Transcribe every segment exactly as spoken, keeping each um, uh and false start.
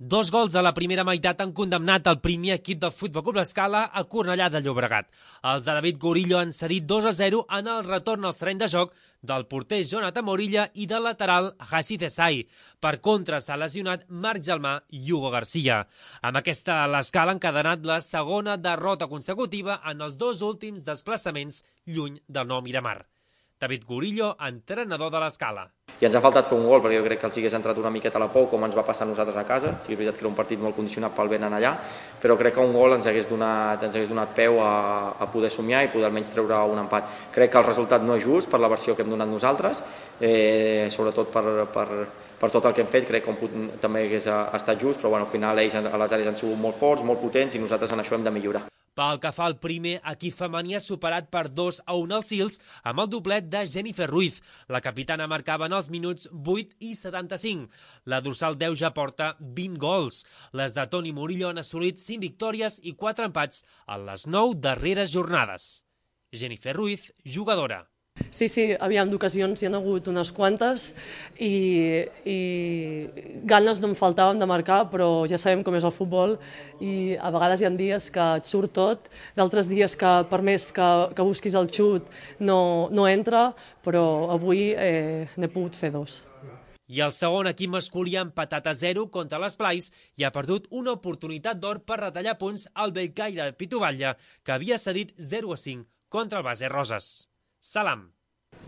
Dos gols a la primera meitat han condemnat el primer equip del Futbol Club L'Escala a Cornellà de Llobregat. Els de David Gorillo han cedit dos a zero en el retorn al terreny de joc del porter Jonathan Morilla i del lateral Hashi Desai. Per contra, s'ha lesionat Marc Gelmà i Hugo Garcia. Amb aquesta, l'Escala ha encadenat la segona derrota consecutiva en els dos últims desplaçaments lluny del nou Miramar. David Gorillo, entrenador de l'Escala. I ens ha faltat fer un gol, perquè jo crec que els hagués entrat una miqueta a la por, com ens va passar a nosaltres a casa. Sí, és veritat que era un partit molt condicionat pel vent en allà, però crec que un gol ens hagués donat, ens hagués donat peu a, a poder somiar i poder almenys treure un empat. Crec que el resultat no és just per la versió que hem donat nosaltres, eh, sobretot per, per, per tot el que hem fet, crec que un punt també hagués estat just, però bueno, al final ells a les àrees han sigut molt forts, molt potents i nosaltres en això hem de millorar. Pel que fa al primer, equip femení ha superat per dos a un als Sils amb el doblet de Jennifer Ruiz. La capitana marcava en els minuts vuit i setanta-cinc. La dorsal deu ja porta vint gols. Les de Toni Murillo han assolit cinc victòries i quatre empats en les nou darreres jornades. Jennifer Ruiz, jugadora. Sí, sí, aviam, d'ocasions hi ha hagut unes quantes i, i ganes no em faltaven de marcar, però ja sabem com és el futbol i a vegades hi ha dies que et surt tot, d'altres dies que per més que, que busquis el xut no, no entra, però avui eh, n'he pogut fer dos. I el segon equip masculí ha empatat a zero contra l'Esplais i ha perdut una oportunitat d'or per retallar punts al Bellcaire de Pitubatlla, que havia cedit zero a cinc contra el Base Roses. Salam.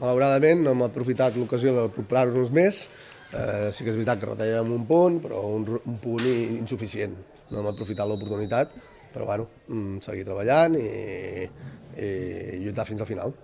Malauradament no hem aprofitat l'ocasió de recuperar-nos més. Eh, sí que és veritat que retallem un punt, però un, un punt insuficient. No hem aprofitat l'oportunitat, però bueno, seguir treballant i, i lluitar fins al final.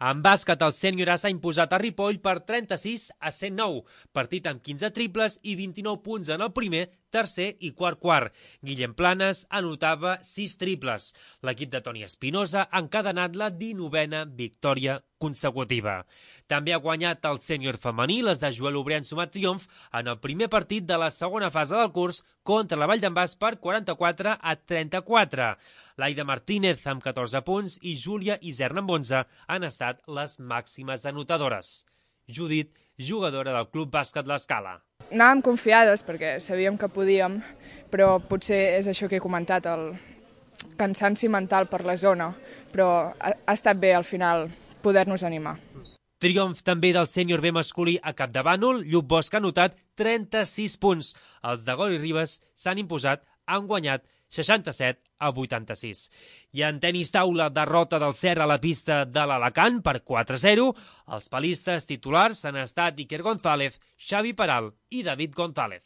En bàsquet, el Sènior A s'ha imposat a Ripoll per trenta-sis a cent nou, partit amb quinze triples i vint-i-nou punts en el primer, tercer i quart quart. Guillem Planes anotava sis triples. L'equip de Toni Espinosa ha encadenat la dinovena victòria consecutiva. També ha guanyat el sènior femení, les de Joel Obrer han sumat triomf en el primer partit de la segona fase del curs contra la Vall d'en Bas per quaranta-quatre a trenta-quatre. Laida Martínez amb catorze punts i Júlia Iserna amb onze han estat les màximes anotadores. Judit, jugadora del Club Bàsquet L'Escala. Anàvem confiades perquè sabíem que podíem, però potser és això que he comentat, el cansanci mental per la zona, però ha, ha estat bé al final poder-nos animar. Triomf també del sènior B masculí a Capdavànol. Lluc Bosch ha anotat trenta-sis punts. Els de Gori Ribes s'han imposat, han guanyat seixanta-set a vuitanta-sis. I en tenis taula, derrota del Serra a la pista de l'Alacant per quatre a zero. Els palistes titulars han estat Iker González, Xavi Peral i David González.